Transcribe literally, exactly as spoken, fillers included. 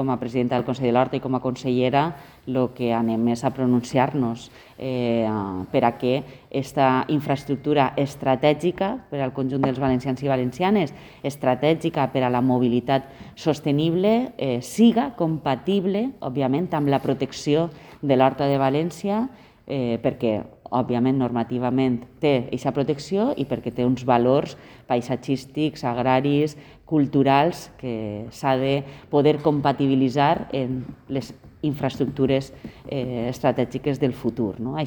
Com a presidenta del Consell de l'Horta i com a consellera, el que anem és a pronunciar-nos eh, per a que aquesta infraestructura estratègica per al conjunt dels valencians i valencianes, estratègica per a la mobilitat sostenible, eh, siga compatible, òbviament, amb la protecció de l'Horta de València, eh, perquè òbviament, normativament té aquesta protecció i perquè té uns valors paisatgístics, agraris, culturals que s'ha de poder compatibilitzar en les infraestructures eh, estratègiques del futur. No?